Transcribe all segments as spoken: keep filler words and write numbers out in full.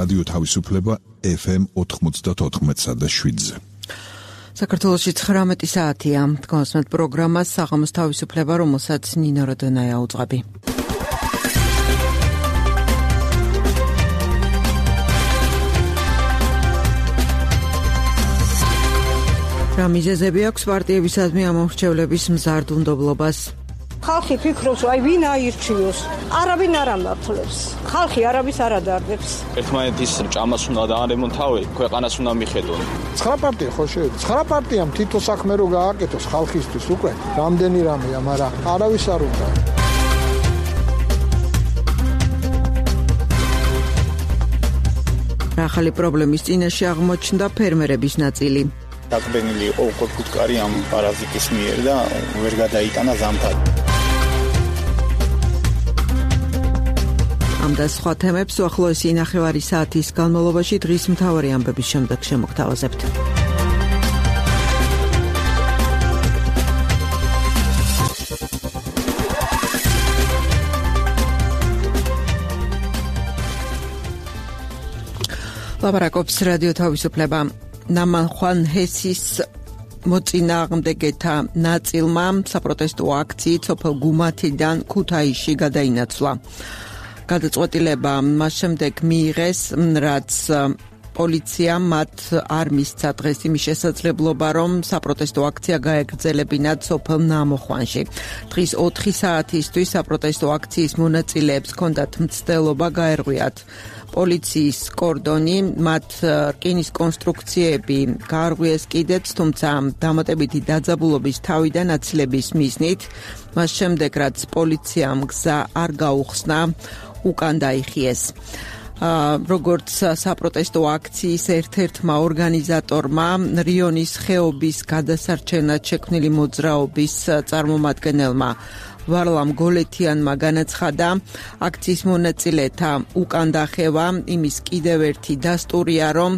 რადიო თავისუფლება ეფ ემ ოთხმოცდაოთხ და შვიდზე. საქართველოში ცხრამეტი საათია. Თქვენსმეთ პროგრამას საღამოს თავისუფლება, რომელსაც ნინო როდონაია უძღვები. რა მიზეზები აქვს პარტიებისადმი ამომრჩევლების მზარდუნდობლობას? ხალხი ფიქრობს, აი ვინ აირჩიოს, არავინ არ ამართლებს, ხალხი არავის არ ადარდებს. ერთმანეთის ჭამას უნდა დაარემონტავენ, ქვეყანას უნდა მიხედონ. ცხრა პარტია ხო შეიძლება, ცხრა პარტიამ თითო საქმე რო გააკეთოს ხალხისთვის უკვე, რამდენი რამეა, მაგრამ არავის არ უნდა. ახალი პრობლემის წინაშე აღმოჩნდა ფერმერების ნაწილი. დაკბენილი იყო უკვე ფუტკარი ამ პარაზიტის მიერ და ვერ გადაიტანა ზამთარი. ამ და სხვა თემებს უახლოესი ნახევარი საათის განმავლობაში დღის მთავარი ამბების შემდეგ შემოგთავაზებთ. ლაპარაკობს რადიო თავისუფლება. ნამანხვან ჰესის მოწინააღმდეგეთა ნაწილმა საპროტესტო აქციით სოფელ გუმათიდან ქუთაისში გადაინაცვლა. გადაწყვეტილება მას შემდეგ მიიღეს, რაც პოლიციამ მათ არ მისცა დღეს იმის შესაძლებლობა, რომ საპროტესტო აქცია გაეგრძელებინათ სოფელ ნამოხვანში. დღის ოთხი საათისთვის საპროტესტო აქციის მონაწილეებს ჰქონდათ მცდელობა გაერღვიათ პოლიციის კორდონი, მათ რკინის კონსტრუქციები გაარღვიეს კიდეც, თუმცა დამატებითი დაძაბულობის თავიდან აცილების მიზნით, მას შემდეგ რაც პოლიციამ გზა არ გაუხსნა, უკან დაიხიეს. როგორც საპროტესტო აქციის ერთ-ერთმა ორგანიზატორმა, რიონის ხეობის გადასარჩენად შექმნილი მოძრაობის წარმომადგენელმა ვარლამ გოლეთიანმა განაცხადა, აქციის მონაწილეთა უკან დახევა იმის კიდევ ერთი დასტურია, რომ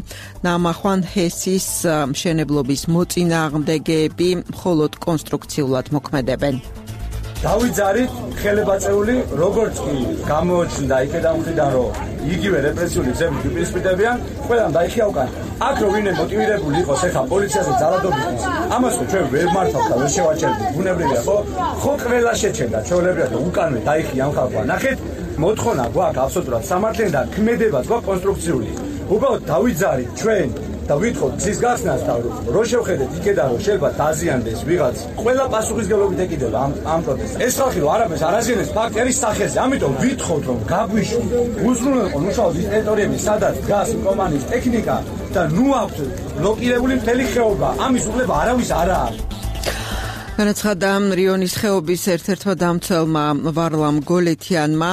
ნამახვან ჰესის მშენებლობის მოწინააღმდეგეები მხოლოდ კონსტრუქციულად მოქმედებენ. დავიძარით ხელებაწეული, როგორც კი გამოჩნდა იქედან მხრიდან, რომ იგივე რეპრესიული გზები უპირისპირდებიან, ყველამ დაიხია უკან. აქ რო ვინმე მოტივირებული იყოს ეხა პოლიციაზე ძალადობით, ამას ხო ჩვენ ვერ მართავთ და ვერ შევაჩერდით. ბუნებრივია ხო? ხო ყველა შეჩერდა, ჩვეულებრივად უკანვე დაიხია ამ ხალხმა. ნახეთ, მოთხოვნა გვაქვს აბსოლუტურად სამართლიანი და ქმედებაც გვაქვს კონსტრუქციული. უბრალოდ დავიძარით ჩვენ და ვითხოვთ გზის გახსნას და რო შევხედეთ იქედან რომ შეიძლება დაზიანდეს ვიღაც, ყველა პასუხისგებლობით ეკიდება ამ ამ პროტესტს. ეს ხალხი რომ არაფერს არ აზიანებს ფაქტერის სახეზე, ამიტომ ვითხოვთ რომ გაგვიშვი უზრუნველყო მუშაობს ის ტერიტორიები, სადაც დგას კომპანიის ტექნიკა და ნუ აქვთ ბლოკირებული მთელი ხეობა, ამის უფლება არავის არ აქვს. განაცხადა რიონის ხეობის ერთ-ერთმა დამცველმა ვარლამ გოლეთიანმა.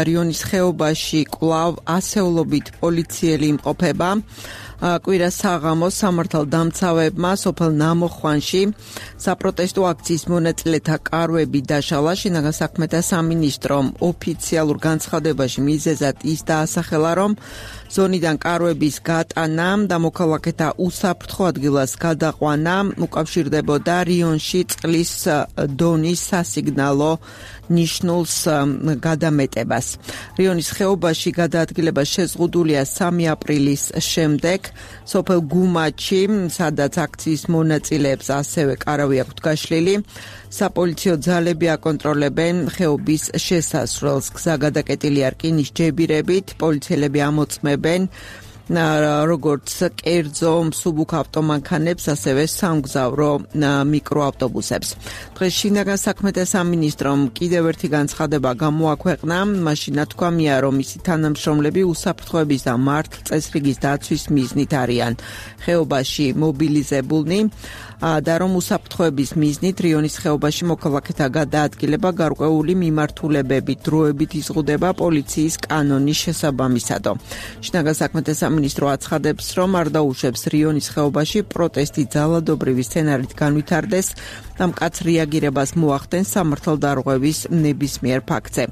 რიონის ხეობაში კვლავ ასეულობით პოლიციელი იმყოფება. კვირა საღამოს სამართალდამცავებმა სოფელ ნამოხვანში საპროტესტო აქციის მონაწილეთა კარვები დაშალა. შინაგან საქმეთა სამინისტრომ ოფიციალურ განცხადებაში მიზეზად ის დაასახელა, რომ ზონიდან კარვების გატანა და მოქალაქეთა უსაფრთხო ადგილას გადაყვანა უკავშირდებოდა რიონში წყლის დონის სასიგნალო ნიშნულს გადამეტებას. რიონის ხეობაში გადაადგილება შეზღუდულია სამი აპრილის შემდეგ. სოფელ გუმათში, სადაც აქციის მონაწილეებს ასევე კარავი აქვთ გაშლილი, საპოლიციო ძალები აკონტროლებენ ხეობის შესასვლელს. გზა გადაკეტილია რკინის ჯებირებით, პოლიციელები ამოწმებენ როგორც კერძო მსუბუქ ავტომანქანებს, ასევე სამგზავრო მიკროავტობუსებს. დღეს შინაგან საქმეთა სამინისტრომ კიდევ ერთი განცხადება გამოაქვეყნა. მაშინ ნათქვამია, რომ მისი თანამშრომლები უსაფრთხოების და მართლწესრიგის დაცვის მიზნით არიან ხეობაში მობილიზებულნი და რომ უსაფრთხოების მიზნით რიონის ხეობაში მოქალაქეთა გადაადგილება გარკვეული მიმართულებებით დროებით იზღუდება პოლიციის კანონის შესაბამისადო. შინაგან საქმეთა სამინისტრო აცხადებს, რომ არ დაუშვებს რიონის ხეობაში პროტესტი ძალადობრივი სცენარით განვითარდეს და მკაც რეაგირებას მოახდენს სამართალდარღვევის ნებისმიერ ფაქტზე.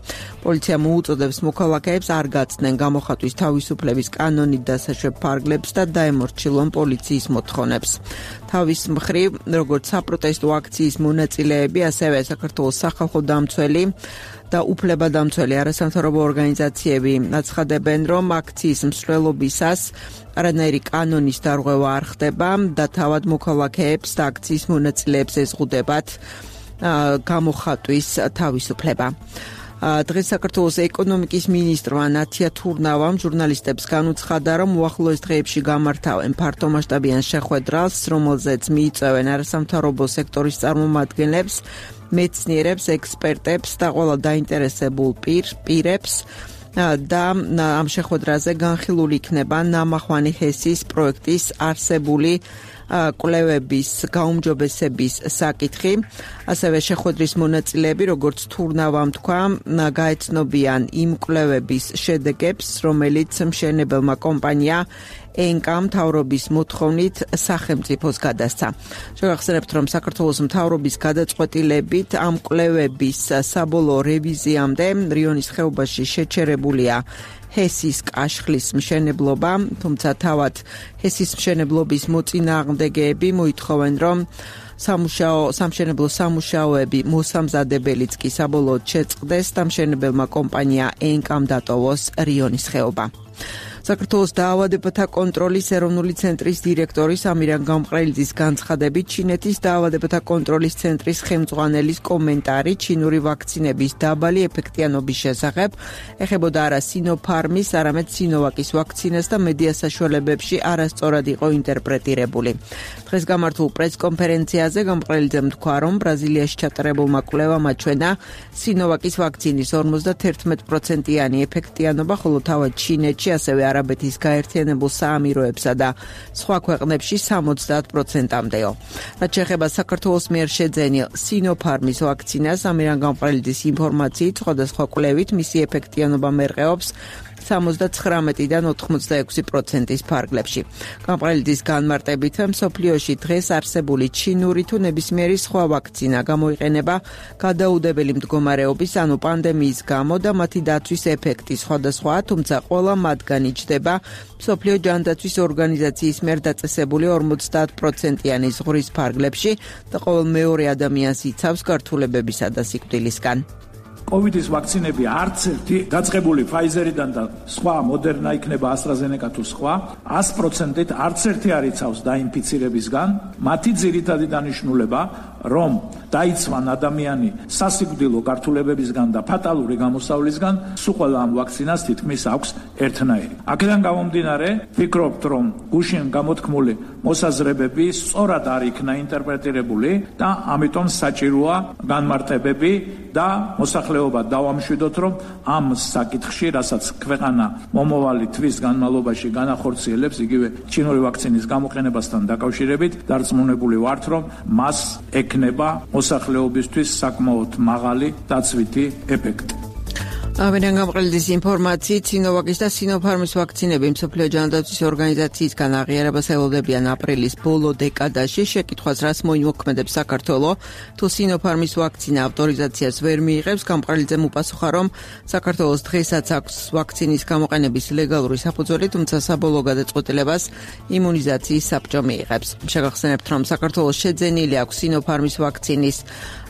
პოლიცია მოუწოდებს მოქალაქეებს არ გაცდნენ გამოხატვის თავისუფლების კანონით დასაშვებ ფარგლებს და დაემორჩილონ პოლიციის მოთხოვნებს. თავის მხრივ, როგორც საპროტესტო აქციის მონაწილეები, ასევე საქართველოს სახალხო დამცველი და უფლებადამცველი არასამთავრობო ორგანიზაციები აცხადებენ, რომ აქციის მსვლელობისას არანაირი კანონის დარღვევა არ ხდება და თავად მოქალაქეებს და აქციის მონაწილეებს ეზღუდებათ გამოხატვის თავისუფლება. დღეს საქართველოს ეკონომიკის მინისტრმა ნათია თურნავამ ჟურნალისტებს განუცხადა, რომ უახლოეს დღეებში გამართავენ ფართომასშტაბიან შეხვედრას, რომელზეც მიიწვევენ არასამთავრობო სექტორის წარმომადგენლებს, მეცნიერებს, ექსპერტებს და ყველა დაინტერესებულ პირებს და ამ შეხვედრაზე განხილული იქნება ნამახვანი ჰესის პროექტის არსებული კვლევების გაუმჯობესების საკითხი. ასევე შეხვედრის მონაწილეები, როგორც თურნავამ თქვა, გაეცნობიან იმ კვლევების შედეგებს, რომელიც მშენებელმა კომპანია ენკა მთავრობის მოთხოვნით სახელმწიფოს გადასცა. შევახსენებთ, რომ საქართველოს მთავრობის გადაწყვეტილებით ამ კვლევების საბოლოო რევიზიამდე რიონის ხეობაში შეჩერებულია ჰესის კაშხლის მშენებლობა, თუმცა თავად ჰესის მშენებლობის მოწინააღმდეგეები მოითხოვენ, რომ სამუშაო სამშენებლო სამუშაოები მოსამზადებელიც კი საბოლოოდ შეწყდეს და მშენებელმა კომპანია ენკამ დატოვოს რიონის ხეობა. საქართველოს დაავადებათა კონტროლის ეროვნული ცენტრის დირექტორის ამირან გამყრელიძის განცხადებით, ჩინეთის დაავადებათა კონტროლის ცენტრის ხელმძღვანელის კომენტარი ჩინური ვაქცინების დაბალი ეფექტიანობის შესახებ ეხებოდა არა სინოფარმის, არამედ სინოვაკის ვაქცინას და მედია საშუალებებში არასწორად იყო ინტერპრეტირებული. დღეს გამართულ პრესკონფერენციაზე გამყრელიძემ თქვა, რომ ბრაზილიაში ჩატარებულმა კვლევამ აჩვენა სინოვაკის ვაქცინის ორმოცდაერთმეტ პროცენტიანი ეფექტიანობა, ხოლო თავად ჩინეთში ასევე არაბეთის გაერთიანებულ საამიროებსა და სხვა ქვეყნებში სამოცდაათ პროცენტამდეო. რაც შეეხება საქართველოს მიერ შეძენილ სინოფარმის ვაქცინას, ამირან გამყრელიძის ინფორმაციით, სხვადასხვა კვლევით მისი ეფექტიანობა მერყეობს სამოცდათხრამეტიდან ოთხმოცდაექვსი პროცენტის ფარგლებში. გამყრელიძის განმარტებით, მსოფლიოში დღეს არსებული ჩინური თუ ნებისმიერი სხვა ვაქცინა გამოიყენება გადაუდებელი მდგომარეობის, ანუ პანდემიის გამო და მათი დაცვის ეფექტი სხვადასხვაა, თუმცა ყველა მათგანი ჯდება მსოფლიო ჯანდაცვის ორგანიზაციის მიერ დაწესებული ორმოცდაათ პროცენტიანი ზღვრის ფარგლებში და ყოველ მეორე ადამიანს იცავს გართულებებისა და სიკვდილისგან. კოვიდის ვაქცინები არც ერთი დაწყებული ფაიზერიდან და სხვა მოდერნა იქნება AstraZeneca თუ სხვა, ას პროცენტით არც ერთი არ იცავს დაინფიცირებისგან. მათი ძირითადი დანიშნულება, რომ დაიცვან ადამიანი სასიკვდილო გართულებებისგან და ფატალური გამოსავლისგან, სულ ყველა ამ ვაქცინას თითქმის აქვს ერთნაირი. აქედან გამომდინარე, ვფიქრობთ, რომ გუშინ გამოთქმული მოსაზრებები სწორად არ იქნა ინტერპრეტირებული და ამიტომ საჭიროა განმარტებები და მოსახლეობა დავამშვიდოთ, რომ ამ საკითხში, რასაც ქვეყანა მომავალი თვის განმავლობაში განახორციელებს, იგივე ჩინური ვაქცინის გამოყენებასთან დაკავშირებით, დარწმუნებული ვართ, რომ მას ექნება მოსახლეობისთვის საკმაოდ მაღალი დაცვითი ეფექტი. ამირან გამყრელიძის ინფორმაციით, სინოვაკის და სინოფარმის ვაქცინები მსოფლიო ჯანდაცვის ორგანიზაციისგან აღიარებას ელოდებიან აპრილის ბოლო დეკადაში. შეკითხვას, რას მოიმოქმედებს საქართველო, თუ სინოფარმის ვაქცინა ავტორიზაციას ვერ მიიღებს, გამყრელიძემ უპასუხა, რომ საქართველოს დღესაც აქვს ვაქცინის გამოყენების ლეგალური საფუძველი, თუმცა საბოლოო გადაწყვეტილებას იმუნიზაციის საბჭო მიიღებს. შეგახსენებთ, რომ საქართველოს შეძენილი აქვს სინოფარმის ვაქცინის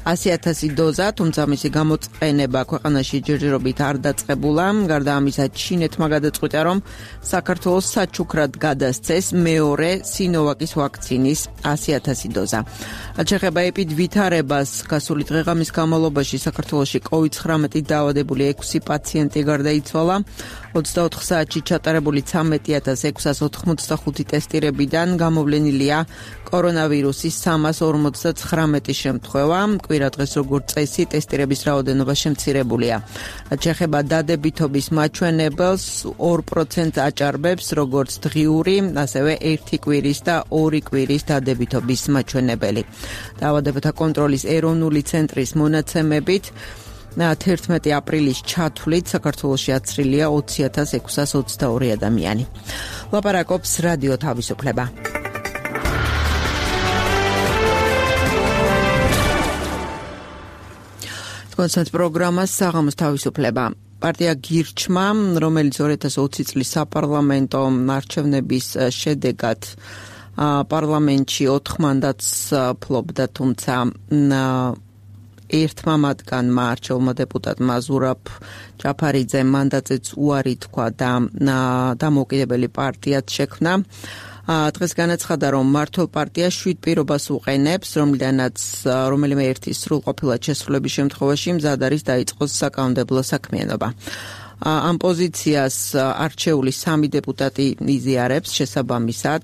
ასი ათასი დოზა, თუმცა მისი გამოყენება ქვეყანაში ჯერჯერობით არ დაწყებულა. გარდა ამისა, ჩინეთმა გადაწყვიტა, რომ საქართველოს საჩუქრად გადასცეს მეორე სინოვაკის ვაქცინის ასი ათასი დოზა. რაც შეეხება ეპიდვითარებას, გასული დღეღამის განმავლობაში საქართველოში კოვიდ ცხრამეტით დაავადებული ექვსი პაციენტი გარდაიცვალა. ოცდაოთხ საათში ჩატარებული ცამეტი ათას ექვსას ოთხმოცდახუთი ტესტირებიდან გამოვლენილია კორონავირუსის სამას ორმოცდაცხრამეტი შემთხვევა. კვირა დღეს როგორც წესი ტესტირების რაოდენობა შემცირებულია. რაც შეეხება დადებითობის მაჩვენებელს, ორ პროცენტს აჭარბებს როგორც დღიური, ასევე ერთი კვირის და ორი კვირის დადებითობის მაჩვენებელი. დაავადებათა კონტროლის ეროვნული ცენტრის მონაცემებით თერთმეტი აპრილის ჩათვლით საქართველოში აცრილია ოცი ათას ექვსას ოცდაორი ადამიანი. ლაპარაკობს რადიო თავისუფლება. კონცერტ პროგრამას საღამოს თავისუფლება. პარტია გირჩმა, რომელიც ორი ათას ოცი წლის საპარლამენტო არჩევნების შედეგად პარლამენტში ოთხ მანდატს ფლობდა, თუმცა ერთმა მათგანმა არჩეულმა დეპუტატმა ზურაბ ჯაფარიძემ მანდატზეც უარი თქვა და დამოუკიდებელი პარტიაც შექმნა. დღეს განაცხადა, რომ მმართველ პარტია შვიდ პირობას უყენებს, რომლიდანაც რომელიმე ერთი სრულყოფილად შესრულების შემთხვევაში მზად არის დაიწყოს საკანონმდებლო საქმიანობა. ამ პოზიციას არჩეული სამი დეპუტატი იზიარებს შესაბამისად.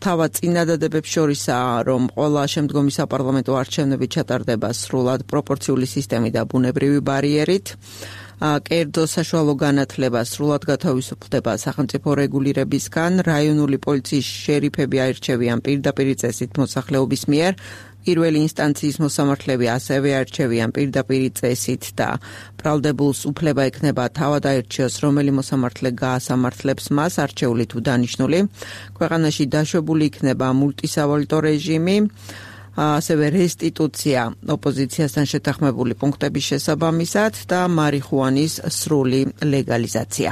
თავად წინადადებებს შორისაა, რომ ყველა შემდგომი საპარლამენტო არჩევნები ჩატარდება სრულად პროპორციული სისტემით და ბუნებრივი ბარიერით. კერძო საშუალო განათლება სრულად გათავისუფლდება სახელმწიფო რეგულირებისგან, რაიონული პოლიციის შერიფები აირჩევიან პირდაპირ წესით მოსახლეობის მიერ, პირველი ინსტანციის მოსამართლეები ასევე აირჩევიან პირდაპირ წესით და ბრალდებულს უფლება ექნება თავად აირჩიოს, რომელი მოსამართლე გაასამართლებს მას, არჩეული თუ დანიშნული. ქვეყანაში დაშვებული იქნება მულტისავალუტო რეჟიმი, ასევე რესტიტუცია ოპოზიციასთან შეთანხმებული პუნქტების შესაბამისად და მარიხუანის სრული ლეგალიზაცია.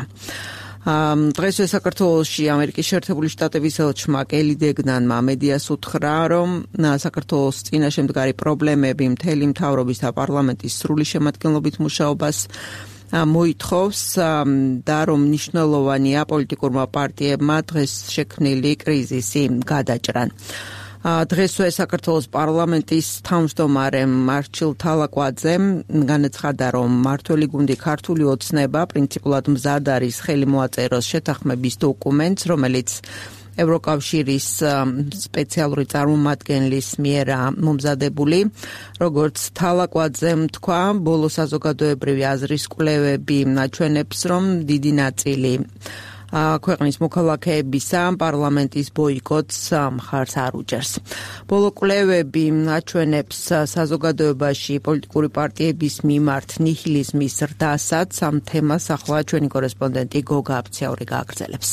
დღესვე საქართველოში ამერიკის შეერთებული შტატების ელჩმა კელი დეგნანმა მედიას უთხრა, რომ საქართველოს წინაშე მდგარი პრობლემები მთელი მთავრობის და პარლამენტის სრული შემადგენლობით მუშაობას მოითხოვს და რომ მნიშვნელოვანია პოლიტიკურმა პარტიებმა დღეს შექმნილი კრიზისი გადაჭრან. დღესვე საქართველოს პარლამენტის თავმჯდომარემ მარჩილ თალაკვაძემ განაცხადა, რომ მმართველი გუნდი ქართული ოცნება პრინციპულად მზად არის ხელი მოაწეროს შეთანხმების დოკუმენტს, რომელიც ევროკავშირის სპეციალური წარმომადგენლის მიერ მომზადებული. როგორც თალაკვაძემ თქვა, ბოლო საზოგადოებრივი აზრის კვლევები აჩვენებს, რომ დიდი ნაწილი ქვეყნის მოქალაქეებისა პარლამენტის ბოიკოტს მხარს არ უჭერს. ბოლო კვლევები აჩვენებს საზოგადოებაში პოლიტიკური პარტიების მიმართ ნიჰილიზმის ზრდასაც. ამ თემას ახლა ჩვენი კორესპონდენტი გოგა აფციური გააგრძელებს.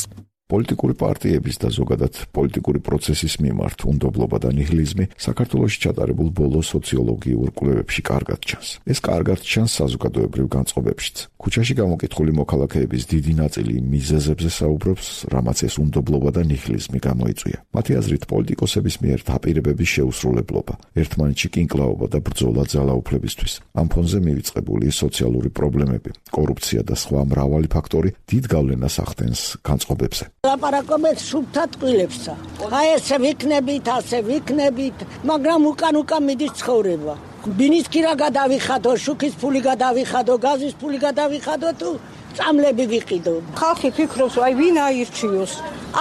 პოლიტიკური პარტიების და ზოგადად პოლიტიკური პროცესის მიმართ უნდობლობა და ნიჰილიზმი საქართველოში ჩატარებულ ბოლო სოციოლოგიურ კვლევებში კარგად ჩანს. ეს კარგად ჩანს საზოგადოებრივ განწყობებშიც. ქუჩაში გამოკითხული მოქალაქეების დიდი ნაწილი მიზეზებზე საუბრობს, რამაც ეს უნდობლობა და ნიჰილიზმი გამოიწვია. მათი აზრით, პოლიტიკოსების მიერ დაპირებების შეუსრულებლობა, ერთმანეთში კინკლაობა და ბრძოლა ძალაუფლებისთვის. ამ ფონზე მივიწყებული სოციალური პრობლემები, კორუფცია და სხვა მრავალი ფაქტორი დიდ გავლენას ახდენს განწყობებზე. ლაპარაკობენ სუფთა ტყილებსა. აი ესე ვიქნებით, ასე ვიქნებით, მაგრამ უკან უკან მიდის ცხოვრება. ბინისკი რა გადავიხადო, შუქის ფული გადავიხადო, გაზის ფული გადავიხადო თუ წამლები ვიყიდო. ხალხი ფიქრობს, აი ვინ აირჩიოს?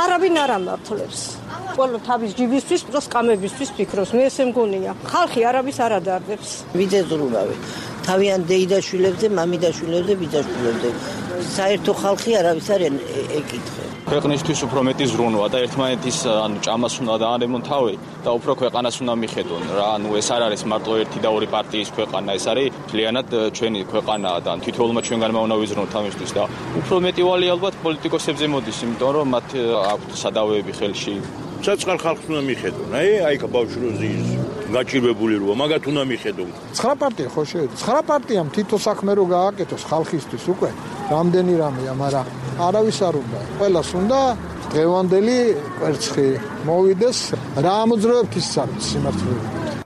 არავინ არ ამართლებს. ყველა თავის ჯიბისთვის, პლუს კამებისთვის ფიქრობს. მე ესე მგონია. ხალხი არავის არ ადარდებს. ვიძეზრულავი. თავიან დეიდაშვილებზე, მამიდაშვილებზე, ბიძაშვილებზე. საერთო ხალხი არავის არ ეკითხება. ქვეყნისთვის უფრო მეტი ზრუნვა და ერთმანეთის ანუ ჭამას უნდა დაანებონ და უფრო ქვეყანას უნდა მიხედონ რა. ანუ ეს არ არის მარტო ერთი და ორი პარტიის ქვეყანა, ეს არის მთლიანად ჩვენი ქვეყანა და თითოეულმა ჩვენგანმა უნდა ვიზრუნოთ ამისთვის და უფრო მეტი ვალი ალბათ პოლიტიკოსებზე მოდის, იმიტომ რომ მათ აქვთ სადავეები ხელში. საწყალ ხალხს უნდა მიხედონ. აი, აი ბავშვი ის გაჭირვებული როა, მაგათ უნდა მიხედონ. ცხრა პარტია ხო შეიძლება? ცხრა პარტიამ თითო საქმე რო გააკეთოს ხალხისთვის უკვე. რამდენი რამეა, მაგრამ არავის არ უნდა. ყველას უნდა დღევანდელი კვერცხი მოვიდეს, რა ამოძრავებთ ის არის სიმართლე.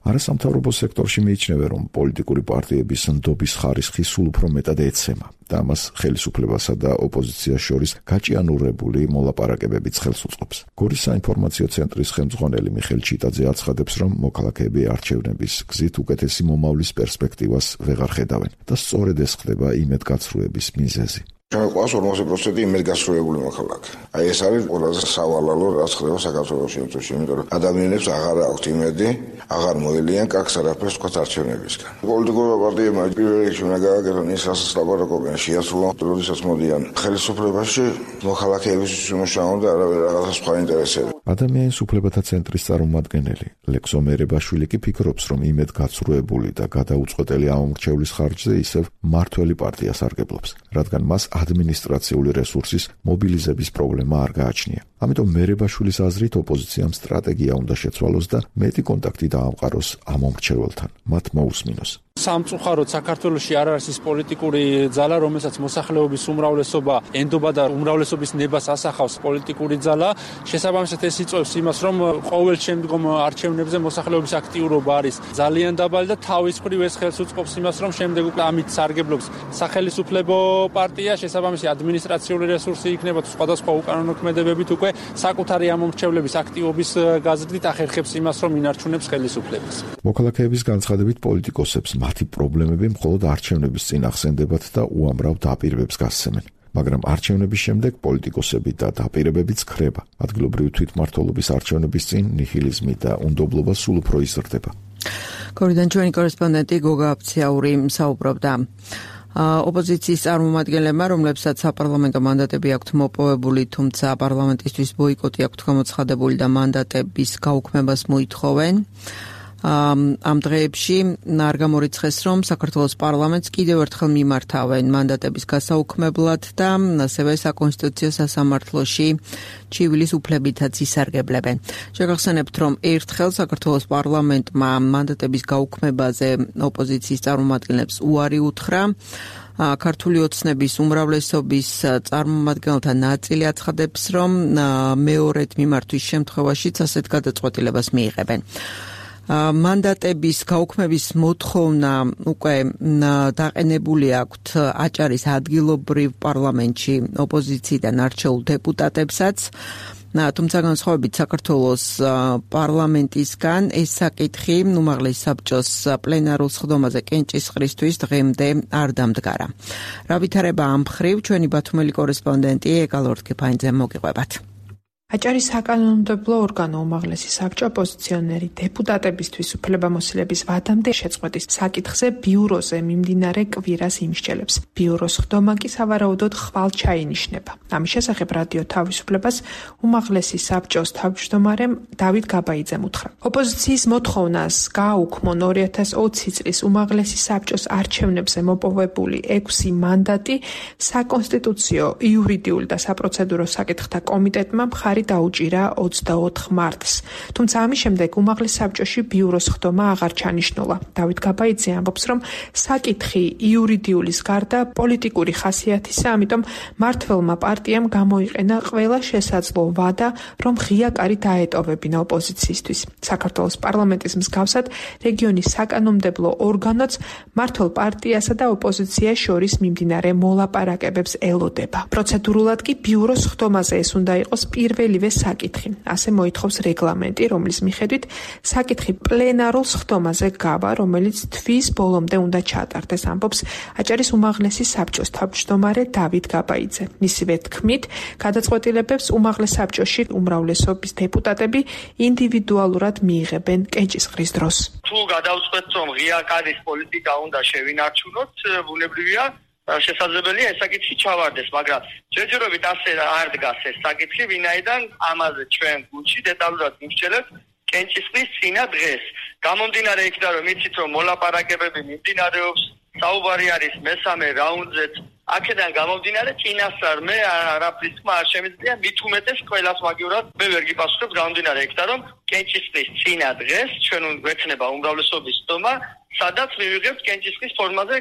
არასამთავრობო სექტორში მიიჩნევა, რომ პოლიტიკური პარტიების ნდობის ხარისხი სულ უფრო მეტად ეცემა და ამას ხელისუფლებასა და ოპოზიციას შორის გაჭიანურებული მოლაპარაკებებიც ხელს უწყობს. გორის საინფორმაციო ცენტრის ხელმძღვანელი მიხეილ ჩიტაძე აცხადებს, რომ მოქალაქეები არჩევნების გზით უკეთესი მომავლის პერსპექტივას ვეღარ ხედავენ და სწორედ ეს ხდება იმედგაცრუების მიზეზი. ჩვენ ყავს ორმოცი პროცენტი იმედგაცრუებული მოქალაქე. აი ეს არის ყველაზე სავალალო რაც ხდება საქართველოში იმ წუთში, იმიტომ რომ ადამიანებს აღარ აქვთ იმედი, აღარ მოელიან კაკს არაფერს თქვა არჩევნებისგან. პოლიტიკურ პარტიებმა პირველ რიგში უნდა გააკეთონ ის, რასაც ლაპარაკობენ, შეასრულონ, როდესაც მოდიან ხელისუფლებაში, მოქალაქეებისთვის უმუშაონ და არავის რაღაცა სხვა ინტერესები. ადამიანის უფლებათა ცენტრის წარმომადგენელი ლექსო მერებაშვილი კი ფიქრობს, რომ იმედგაცრუებული და გადაუწყვეტელი ამომრჩევლის ხარჯზე ისევ მმართველი პარტია სარგებლობს, რადგან მას ადმინისტრაციული რესურსის მობილიზების პრობლემა არ გააჩნია. ამიტომ მერებაშვილის აზრით ოპოზიციამ სტრატეგია უნდა შეცვალოს და მეტი კონტაქტი დაამყაროს ამომრჩეველთან, მათ მოусმინოს. სამწუხაროდ საქართველოში არ არის ის პოლიტიკური ძალა, რომელსაც მოსახლეობის უმრავლესობა ენდობა და უმრავლესობის ნებას ასახავს პოლიტიკური ძალა. შესაბამისად ეს იწვევს იმას, რომ ყოველ შემდგომ არჩევნებზე მოსახლეობის აქტიურობა არის ძალიან დაბალი და თავის მხრივ ეს ხელს უწყობს იმას, რომ შემდეგ უკვე ამით სარგებლობს სახელმწიფო პარტია, შესაბამისი ადმინისტრაციული რესურსი იქნება თუ სხვადასხვა უკანონო ქმედებებით უკვე საკუთარი ამომრჩევლების აქტივობის გაზრდით ახერხებს იმას, რომ ინარჩუნებს ხელისუფლებას. მოქალაქეების განცხადებით პოლიტიკოსებს მათი პრობლემები მხოლოდ არჩევნების წინ ახსენდებათ და უამრავ დაპირებებს გასცემენ. მაგრამ არჩევნების შემდეგ პოლიტიკოსები და დაპირებებიც ქრება. ადგილობრივი თვითმმართველობის არჩევნების წინ ნიჰილიზმი და უნდობლობა სულ უფრო იზრდება. კორიდან ჩვენი კორესპონდენტი გოგა აფციაური საუბრობდა. ოპოზიციის წარმომადგენლებმა, რომლებსაც საპარლამენტო მანდატები აქვთ მოპოვებული, თუმცა პარლამენტისთვის ბოიკოტი აქვთ გამოცხადებული და მანდატების გაუქმებას მოითხოვენ. ამ დღეებში არ გამორიცხეს, რომ საქართველოს პარლამენტს კიდევ ერთხელ მიმართავენ მანდატების გასაუქმებლად და ასევე საკონსტიტუციო სასამართლოში ჩივილის უფლებითაც ისარგებლებენ. შეგახსენებთ, რომ ერთხელ საქართველოს პარლამენტმა მანდატების გაუქმებაზე ოპოზიციის წარმომადგენლებს უარი უთხრა. ქართული ოცნების უმრავლესობის წარმომადგენელთა ნაწილი აცხადებს, რომ მეორედ მიმართვის შემთხვევაშიც ასეთ გადაწყვეტილებას მიიღებენ. მანდატების გაუქმების მოთხოვნა უკვე დაყენებული აქვთ აჭარის ადგილობრივ პარლამენტში ოპოზიციიდან არჩეულ დეპუტატებსაც. თუმცა განსხვავებით საქართველოს პარლამენტისგან ეს საკითხი უმაღლეს საბჭოს პლენარულ სხდომაზე კენჭისყრისთვის დღემდე არ დამდგარა. რა ვითარება ამ მხრივ ჩვენი ბათუმელი კორესპონდენტი ეკალორთქიფაინძე მოგიყვებათ. აჭარის საკანონმდებლო ორგანო უმაღლესი საბჭო ოპოზიციონერი დეპუტატებისთვის უფლებამოსილების ვადამდე შეწყვეტის საკითხზე ბიუროზე მიმდინარე კვირას იმსჯელებს. ბიუროს ხდომა კი სავარაუდოდ ხვალ ჩაინიშნება. ამის შესახებ რადიო თავისუფლებას უმაღლესი საბჭოს თავმჯდომარემ დავით გაბაიძემ უთხრა. ოპოზიციის მოთხოვნას გააუქმონ ორი ათას ოცი წლის უმაღლესი საბჭოს არჩევნებზე მოპოვებული ექვსი მანდატი საკონსტიტუციო, იურიდიული და საპროცედურო საკითხთა კომიტეტმა მხარი დაუჭირა ოცდაოთხ მარტს. თუმცა ამის შემდეგ უმაღლეს საბჭოში ბიუროს ხდომა აღარ ჩანიშნულა. დავით გაბაიძე ამბობს, რომ საკითხი იურიდიულის გარდა პოლიტიკური ხასიათისა, ამიტომ მმართველმა პარტიამ გამოიყენა ყველა შესაძლო ვადა, რომ ღია კარი დაეტოვებინა ოპოზიციისთვის. საქართველოს პარლამენტის მსგავსად რეგიონის საკანონმდებლო ორგანოც მმართველ პარტიასა და ოპოზიციას შორის მიმდინარე მოლაპარაკებებს ელოდება. პროცედურულად კი ბიუროს ხდომაზე ეს უნდა იყოს პირველი პირველივე საკითხი. ასე მოითხოვს რეგლამენტი, რომლის მიხედვით საკითხი პლენარულ სხდომაზე გავა, რომელიც თვის ბოლომდე უნდა ჩატარდეს, ამბობს აჭარის უმაღლესი საბჭოს თავმჯდომარე დავით გაბაიძე. მისივე თქმით, გადაწყვეტილებებს უმაღლეს საბჭოში უმრავლესობის დეპუტატები ინდივიდუალურად მიიღებენ კენჭისყრის დროს. თუ გადავწყვეტთ, რომ ღია კარის პოლიტიკა უნდა შევინარჩუნოთ, ბუნებრივია შესაძლებელია ეს საკითხი ჩავარდეს, მაგრამ ჯერჯერობით ასე არ დგას ეს საკითხი, ვინაიდან ამაზე ჩვენ გუნდში დეტალურად მივსჯელებთ კენჭისყრის წინა დღეს. გამომდინარე იქიდან, რომ იცით, რომ მოლაპარაკებები მიმდინარეობს, საუბარი არის მესამე რაუნდზეც, აქედან გამომდინარე წინასწარ მე არაფრის თქმა არ შემიძლია, მით უმეტეს ყველას მაგივრად მე ვერ გიპასუხებ გამომდინარე იქიდან, რომ კენჭისყრის წინა დღეს ჩვენ გვექნება უმრავლესობის ხდომა, სადაც მივიღებთ კენჭისყრის ფორმაზე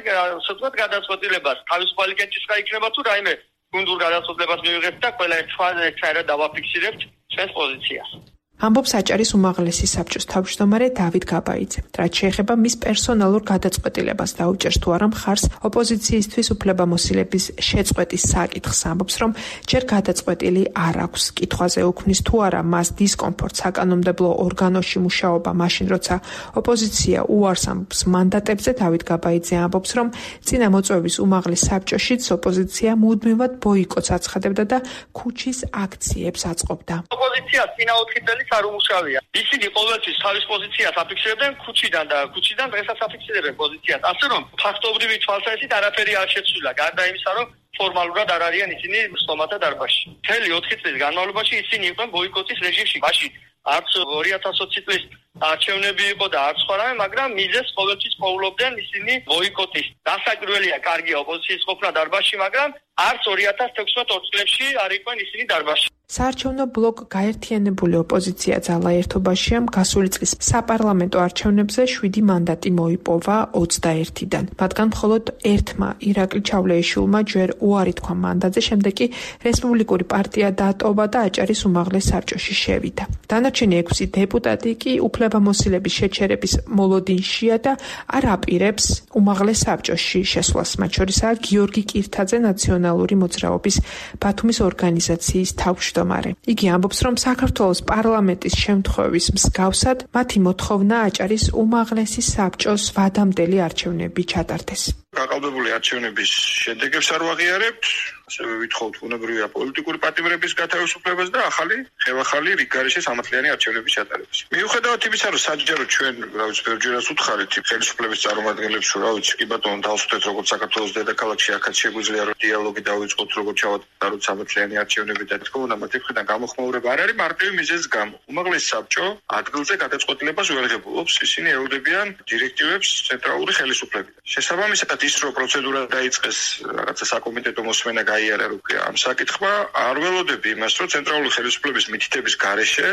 სიტყვათ გადაწყვეტილებას. თავისუფალი კენჭისყრა იქნება თუ რაიმე გუნდურ გადაწყვეტილებას მივიღებთ და ყველა ერთმანეთს დავაფიქსირებთ ჩვენს პოზიციას. ამბობს აჭარის უმაღლესი საბჭოს თავმჯდომარე დავით გაბაიძე. რაც შეეხება მის პერსონალურ გადაწყვეტილებას დაუჭერს თუ არა მხარს ოპოზიციისთვის უფლებამოსილების შეწყვეტის საკითხს, ამბობს, რომ ჯერ გადაწყვეტილი არ აქვს. კითხვაზე უქმნის თუ არა მას დისკომფორტს საკანონმდებლო ორგანოში მუშაობა, მაშინ როცა ოპოზიცია უარს ამბობს მანდატებზე, დავით გაბაიძე ამბობს, რომ წინა მოწვევის უმაღლეს საბჭოშიც ოპოზიცია მუდმივად ბოიკოტს აცხადებდა და ქუჩის აქციებს აწყობდა. ოპოზიცია წინა ოთხი წელი არ უმუშავია. ისინი ყოველთვის თავის პოზიციას აფიქსირებდნენ ქუჩიდან და ქუჩიდან დღესაც აფიქსირებენ პოზიციას. ასე რომ ფაქტობრივი თვალსაზრისით არაფერი არ შეცვლილა, გარდა იმისა, რომ ფორმალურად არ არიან ისინი სტომათა დარბაზში. მთელი ოთხი წლის განმავლობაში ისინი იყვნენ ბოიკოტის რეჟიმში. მაშინ არც ორი ათას ოცი წლის არჩევნები იყო და არც სხვა რამე, მაგრამ მიზეს ყოველთვის პოულობდნენ ისინი ბოიკოტის. დასაკვირველია კარგია ოპოზიციის ყოფნა დარბაზში, მაგრამ არც ორი ათას თექვსმეტ ორ წლებში არ იყვნენ ისინი დარბაზში. საარჩევნო ბლოკ გაერთიანებული ოპოზიცია ძალა ერთობაშია გასული წლის საპარლამენტო არჩევნებზე შვიდი მანდატი მოიპოვა ოცდაერთიდან. მათგან მხოლოდ ერთმა ირაკლი ჩავლეიშვილმა ჯერ უარი თქვა მანდატზე, შემდეგ კი რესპუბლიკური პარტია დატოვა და აჭარის უმაღლეს საბჭოში შევიდა. დანარჩენი ექვსი დეპუტატი კი უფლებამოსილების შეჩერების მოლოდინშია და არ აპირებს უმაღლეს საბჭოში შესვლას. მათ შორისაა გიორგი კირთაძე, ნაციონალური მოძრაობის ბათუმის ორგანიზაციის თავმჯდომარე. იგი ამბობს, რომ საქართველოს პარლამენტის შემთხვევის მსგავსად მათი მოთხოვნა აჭარის უმაღლესი საბჭოს ვადამდელი არჩევნები ჩატარდეს. გაყალბებული არჩევნების შედეგებს არ ვაღიარებთ, ასევე ვითხოვთ ბუნებრივია პოლიტიკური პატიმრების გათავისუფლებას და ახალი ხელახალი რიგგარეშე სამართლიანი არჩევნების ჩატარებას. მიუხედავად იმისა, რომ საჯარო ჩვენ, რა ვიცი, ბევრჯერაც უთხარით ხელისუფლების წარმომადგენლებს, რომ რა ვიცი, კი ბატონო დავსვეთეთ როგორც საქართველოს დედაქალაქში, აქაც შეგვიძლია რომ დიალოგი დავიწყოთ, როგორც ჩავატაროთ სამართლიანი არჩევნები და თქო უნდა მათი მხრიდან გამოხმაურება არ არის მარტივი მიზეზის გამო. უმაღლესი საბჭო ადგილზე გადაწყვეტილებას ვერ ღებულობს, ისინი ეულებიან დირექტივებს ცენტრალური ხელისუფლებიდან. შესაბამისად ის რომ პროცედურა დაიწყეს რაღაცა საკომიტეტო მოსმენა გაიარა რუკე ამ საკითხმა არ ველოდები იმას რომ ცენტრალური ხელისუფლების მითითების გარეშე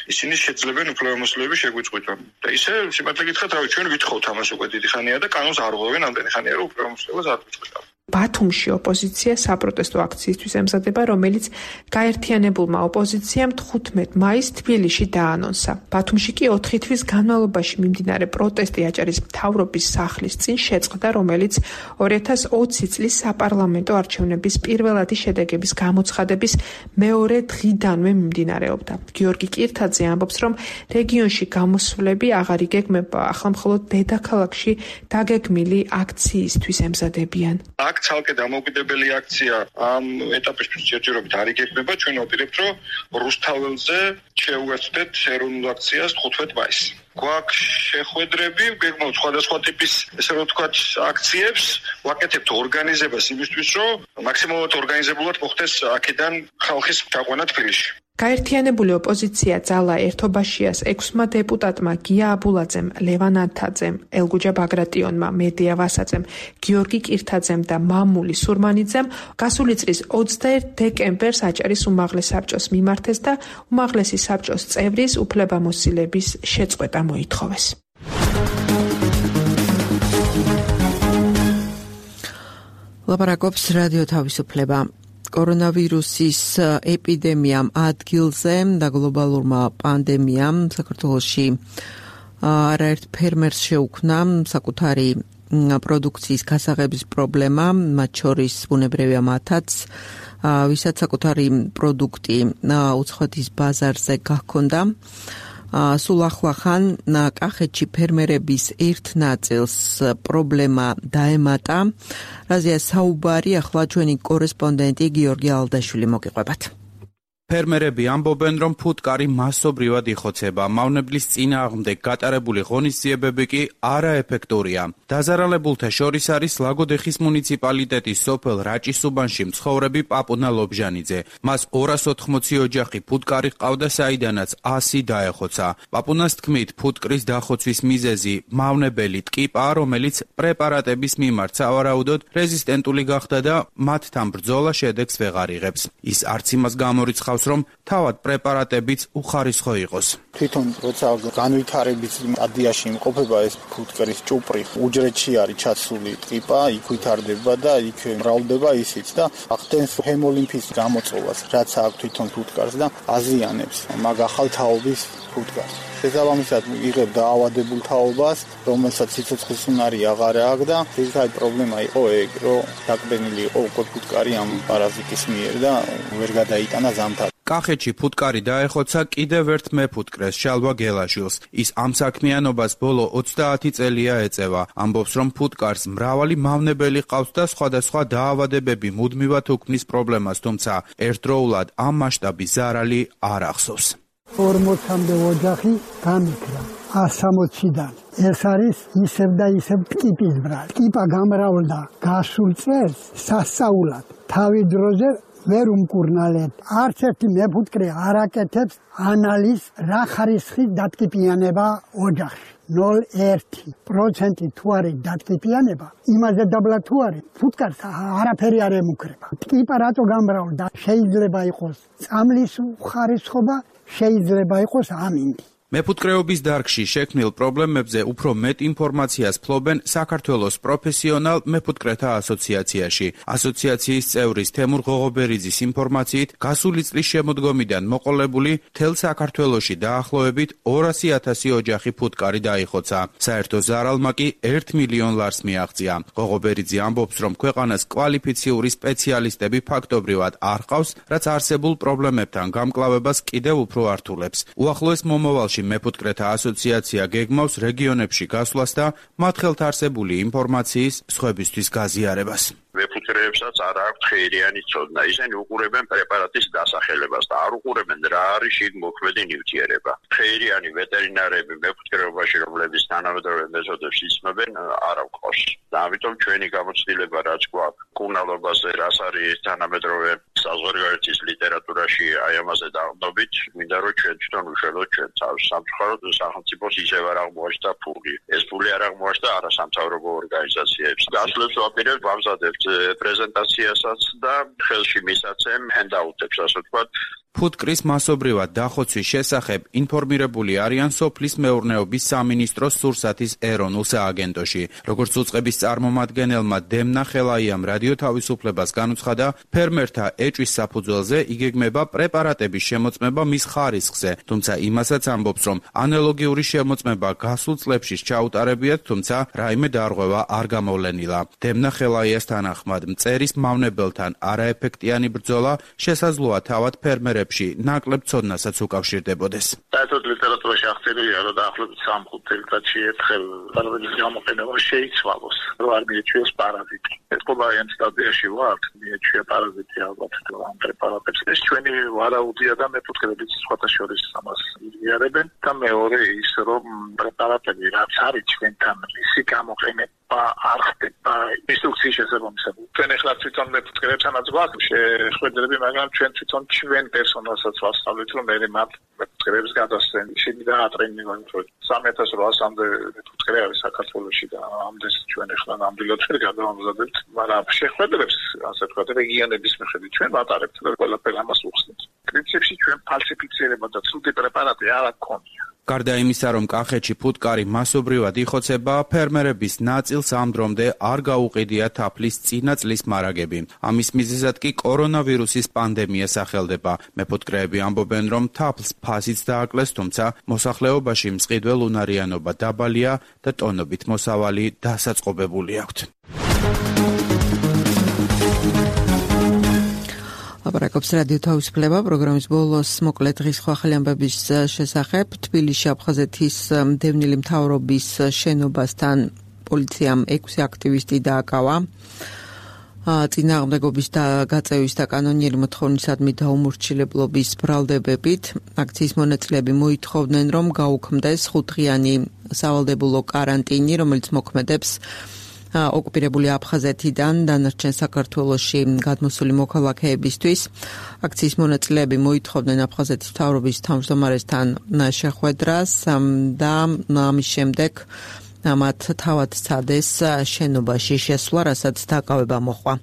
ისინი შეძლებენ უფლებამოსილების შეგვიწყვეტონ და ისე სიმართლე გითხრათ რავი ჩვენ ვითხოვთ ამას უკვე დიდი ხანია და კანონს არ ღვევენ ამდენი ხანია რომ უფლებამოსილებას არ გვიწყვეტავ. ბათუმში ოპოზიცია საპროტესტო აქციისთვის ემზადება, რომელიც გაერთიანებულმა ოპოზიციამ თხუთმეტ მაისს თბილისში დაანონსა. ბათუმში კი ოთხი თვის განმავლობაში მიმდინარე პროტესტი აჭარის მთავრობის სახლის წინ შეწყდა, რომელიც ორი ათას ოცი წლის საპარლამენტო არჩევნების პირველადი შედეგების გამოცხადების მეორე დღიდანვე მიმდინარეობდა. გიორგი კირთაძე ამბობს, რომ რეგიონში გამოსვლები აღარ იგეგმება, ახლა მხოლოდ დედაქალაქში დაგეგმილი აქციისთვის ემზადებიან. ცალკე დამოუკიდებელი აქცია ამ ეტაპისთვის ჯერჯერობით არ იგეგმება, ჩვენ ვაპირებთ, რომ რუსთაველზე შევუერთდეთ ეროვნულ აქციას თხუთმეტ მაისს. გვაქვს შეხვედრები, გეგმავთ სხვადასხვა ტიპის, ესე რომ ვთქვათ, აქციებს, ვაკეთებთ ორგანიზებას იმისთვის, რომ მაქსიმალურად ორგანიზებულად მოხდეს აქედან ხალხის ჩაყვანა თბილისში. გაერთიანებული ოპოზიცია ძალა ერთობაშიას ექვსმა დეპუტატმა გია აბულაძემ, ლევან ანთაძემ, ელგუჯა ბაგრატიონმა, მედია ვასაძემ, გიორგი კირთაძემ და მამული სურმანიძემ გასული წლის ოცდაერთ დეკემბერს აჭარის უმაღლეს საბჭოს მიმართეს და უმაღლესი საბჭოს წევრის უფლებამოსილების შეწყვეტა მოითხოვეს. ლაპარაკობს რადიო თავისუფლება. კორონავირუსის ეპიდემიამ ადგილზე და გლობალურმა პანდემიამ საქართველოში არაერთ ფერმერს შეუქმნა საკუთარი პროდუქციის გასაღების პრობლემა, მათ შორის ბუნებრივია მათაც, ვისაც საკუთარი პროდუქტი უცხოეთის ბაზარზე გაქონდა. სულ ახლახან კახეთში ფერმერების ერთ ნაწილს პრობლემა დაემატა. რაზეა საუბარი, ახლა ჩვენი კორესპონდენტი გიორგი ალდაშვილი მოგიყვებათ. ფერმერები ამბობენ, რომ ფუტკარი მასობრივად იხოცება, მავნებლის წინააღმდეგ გატარებული ღონისძიებები კი არაეფექტურია. დაზარალებულთა შორის არის ლაგოდეხის მუნიციპალიტეტის სოფელ რაჭის-უბანში მცხოვრები პაპუნა ლობჟანიძე. მას ორას ოთხმოცი ოჯახი ფუტკარი ჰყავდა, საიდანაც ასი დაეხოცა. პაპუნას თქმით, ფუტკრის დახოცვის მიზეზი მავნებელი ტკიპაა, რომელიც პრეპარატების მიმართ სავარაუდოდ რეზისტენტული გახდა და მათთან ბრძოლა შედეგს ვეღარ იღებს. ის არც იმას გამორიცხავს, რომ თავად პრეპარატებიც უხარისხო იყოს. თვითონ როცა განვითარების სტადიაში იმყოფება ეს ფუტკრის ჭუპრი, უჯრედში არის ჩაცული ტკიპა, იქ ვითარდება და იქ მრავლდება ისიც და ახდენს ჰემოლიმფის გამოწვევას, რაც აქვს თვითონ ფუტკარს და აზიანებს მაგ ახალ თაობის ფუტკარს. შესაბამისად იღებ დაავადებულ თაობას, რომელსაც სიცოცხლის უნარი აღარ აქვს და ძირითადი პრობლემა იყო ეგ, რომ დაკბენილი იყო უკვე ფუტკარი ამ პარაზიტის მიერ და ვერ გადაიტანა ზამთარი. კახეთში ფუტკარი დაეხოცა კიდევ ერთ მეფუტკრეს, შალვა გელაშვილს. ის ამ საქმიანობას ბოლო ოცდაათი წელია ეწევა. ამბობს, რომ ფუტკარს მრავალი მავნებელი ყავს და სხვადასხვა დაავადებები მუდმივად უქმნის პრობლემას, თუმცა ერთდროულად ამ მასშტაბის ზარალი არ ახსოვს. ორმოცამდე ოჯახი გამიქრა ასამოციდან. ეს არის ისევ და ისევ ტკიპის ბრალი. ტკიპა გამრავლდა გასულ წელს სასწაულად. თავი დროზე ვერ უმკურნალეთ. არც ერთი მეფუტკრე არ აკეთებს ანალიზს რა ხარისხის დატკიპიანება ოჯახში. ნულ ერთი პროცენტი თუ არის დატკიპიანება, იმაზე დაბლა თუ არის, ფუტკარს არაფერი არ ემუქრება. ტკიპა რატო გამრავლდა? შეიძლება იყოს წამლის ხარისხობა, შეიძლება იყოს ამინდი. მეფუტკრეობის დარგში შექმნილ პრობლემებზე უფრო მეტ ინფორმაციას ფლობენ საქართველოს პროფესიონალ მეფუტკრეთა ასოციაციაში. ასოციაციის წევრის თემურ ღოღობერიძის ინფორმაციით, გასული წლის შემოდგომიდან მოყოლებული მთელ საქართველოში დაახლოებით ორასი ათასი ოჯახი ფუტკარი დაიხოცა. საერთო ზარალმა კი ერთ მილიონ ლარს მიაღწია. ღოღობერიძე ამბობს, რომ ქვეყანას კვალიფიციური სპეციალისტები ფაქტობრივად არ ყავს, რაც არსებულ პრობლემებთან გამკლავებას კიდევ უფრო ართულებს. უახლოეს მომავალში მეფუტკრეთა ასოციაცია გეგმავს რეგიონებში გასვლას და მათ ხელთ არსებული ინფორმაციის სხვებისთვის გაზიარებას. მეფუტკრეებსაც არ აქვთ ხეირიანი ცოდნა. ისინი უყურებენ პრეპარატის დასახელებას და არ უყურებენ რა არის შიგ მოქმედი ნივთიერება. ხეირიანი ვეტერინარები მეფუტკრეობაში, რომლებიც თანამედროვე მეთოდებს იცნობენ, არ აქვთ. და ამიტომ ჩვენი გამოცდილება რაც გვაქვს კურნალობაზე, რაც არის თანამედროვე საზღვარგარეთის ლიტერატურაში აი ამაზე დაყრდნობით, მინდა რომ ჩვენ თვითონ უშველოთ ჩვენ თავს. სამწუხაროდ სახელმწიფოს ისევ არ აღმოაჩნდა ფული. ეს ფული არ აღმოაჩნდა არასამთავრობო ორგანიზაციებს. გასვლებს ვაპირებთ, ვამზადებთ პრეზენტაციასაც და ხელში მისაცემ ჰენდაუტებს, ასე ვთქვათ. ფუტკრის მასობრივად დახოცვის შესახებ ინფორმირებული არიან სოფლის მეურნეობის სამინისტროს სურსათის ეროვნულ სააგენტოში. როგორც უწყების წარმომადგენელმა დემნა ხელაიამ რადიო თავისუფლებას განუცხადა, ფერმერთა ეჭვის საფუძველზე იგეგმება პრეპარატების შემოწმება მის ხარისხზე, თუმცა იმასაც ამბობს, რომ ანალოგიური შემოწმება გასულ წლებში ჩაუტარებიათ, თუმცა რაიმე დარღვევა არ გამოვლენილა. დემნა ხელაიას თანახმად, მწერის მავნებელთან არაეფექტიანი ბრძოლა შესაძლოა თავად ფერმერებს ნაკლებ ცოდნასაც უკავშირდებოდეს. საერთოდ ლიტერატურაში აღწერილია, რომ დაახლოებით სამი წელიწადში ერთხელ პარაზიტის გამოყენება შეიცვალოს, რომ არ მიეჩვიოს პარაზიტი. ეს ყოველდღიურ სტადიაში ვართ, მიეჩვია პარაზიტი ალბათ ამ პრეპარატებს. ეს ჩვენი ვარაუდია და მეფუტკრეებიც სხვათა შორის ამას იღიარებენ და მეორე ის, რომ პრეპარატები რაც არის ჩვენთან, მისი გამოყენება არ ხდება ინსტრუქციის შესაბამისად. ჩვენ ახლა თვითონ მეფუტკრეებთანაც გვაქვს შეხვედრები, მაგრამ ჩვენ თვითონ ჩვენ პერსონალსაც ვასწავლით, რომ მე მათ მეფუტკრეებს გადასცენ. ისინი დაატრენინგონ ჩვენ სამი ათას რვაასამდე მეფუტკრე არის საქართველოში და ამდენს ჩვენ ახლა ნამდვილად ვერ გადავამზადებთ, მაგრამ შეხვედრებს, ასე ვთქვათ, რეგიონების მიხედვით ჩვენ ვატარებთ და ყველაფერი ამას უხსნით. პრინციპში ჩვენ ფალსიფიცირება და ცუდი პრეპარატი არ აქვს. გარდა იმისა, რომ კახეთში ფუტკარი მასობრივად იხოცება, ფერმერების ნაწილს ამ დრომდე არ გაუყიდია თაფლის წინა წლის მარაგები. ამის მიზეზად კი კორონავირუსის პანდემია სახელდება. მეფუტკრეები ამბობენ, რომ თაფლს ფასიც დააკლეს, თუმცა მოსახლეობაში მწყიდველ უნარიანობა დაბალია და ტონობით მოსავალი დასაწყობებული აქვთ. აბარაკობს რადიო თავისუფლება პროგრამის ბოლოს მოკლედ დღის ახალი ამბების შესახებ. თბილისში აფხაზეთის დევნილი მთავრობის შენობასთან პოლიციამ ექვსი აქტივისტი დააკავა. წინააღმდეგობის და გაწევის და კანონიერი მოთხოვნისადმი დაუმორჩილებლობის ბრალდებებით აქციის მონაწილეები მოითხოვდნენ, რომ გაუქმდეს ხუთდღიანი სავალდებულო კარანტინი, რომელიც მოქმედებს ოკუპირებული აფხაზეთიდან დანარჩენ საქართველოში გადმოსული მოქალაქეებისთვის. აქციის მონაწილეები მოითხოვდნენ აფხაზეთის მთავრობის თავმჯდომარესთან შეხვედრას და ამის შემდეგ მათ თავად სცადეს შენობაში შესვლა, რასაც დაკავება მოჰყვა.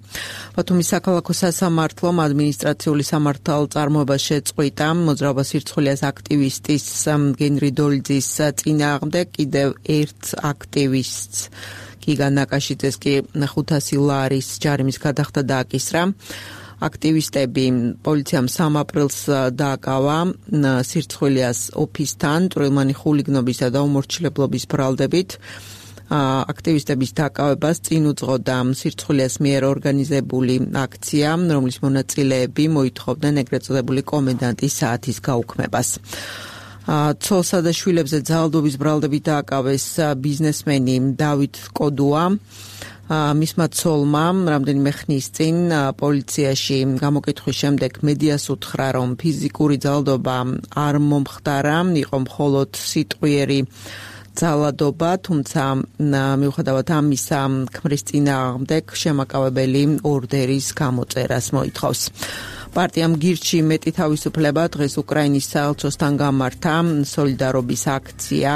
ბათუმის საქალაქო სასამართლომ ადმინისტრაციული სამართალწარმოება შეწყვიტა მოძრაობა სირცხვილიას აქტივისტის გენრი დოლიძის წინააღმდეგ კიდევ ერთ აქტივისტს გიგა ნაკაშიძეს კი ხუთასი ლარის ჯარიმის გადახდა დააკისრა. აქტივისტები პოლიციამ სამი აპრილს დააკავა სირცხვილიას ოფისთან წვრილმანი ხულიგნობისა და უმორჩილებლობის ბრალდებით. აქტივისტების დაკავებას წინ უძღოდა სირცხვილიას მიერ ორგანიზებული აქცია, რომლის მონაწილეები მოითხოვდნენ ეგრეთ წოდებული კომენდანტის საათის გაუქმებას. ცოლსა და შვილებზე ძალადობის ბრალდებით დააკავეს ბიზნესმენი დავით კოდუა. მისმა ცოლმა რამდენიმე ხნის წინ პოლიციაში გამოკითხვის შემდეგ მედიას უთხრა, რომ ფიზიკური ძალადობა არ მომხდარა, იყო მხოლოდ სიტყვიერი ძალადობა, თუმცა მიუხედავად ამისა, ქმრის წინააღმდეგ შემაკავებელი ორდერის გამოწერას მოითხოვს. პარტიამ გირჩი მეტი თავისუფლება დღეს უკრაინის საელჩოსთან გამართა სოლიდარობის აქცია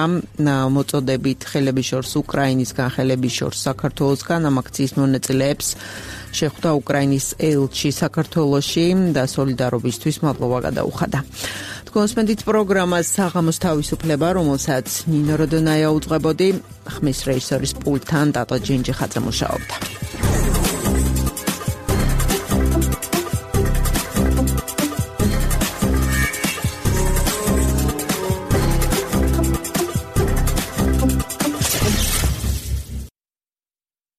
მოწოდებით ხელების შორს უკრაინისგან ხელების შორს საქართველოსგან ამ აქციის მონაწილეებს შეხვდა უკრაინის ელჩი საქართველოში და სოლიდარობისთვის მადლობა გადაუხადა. კონსპენდით პროგრამას საღამოს თავისუფლება, რომელსაც ნინო როდონაია უძღვებოდი, ხმის რეჟისორის პულტთან ტატო ჯინჯი ხაძე მუშაობდა.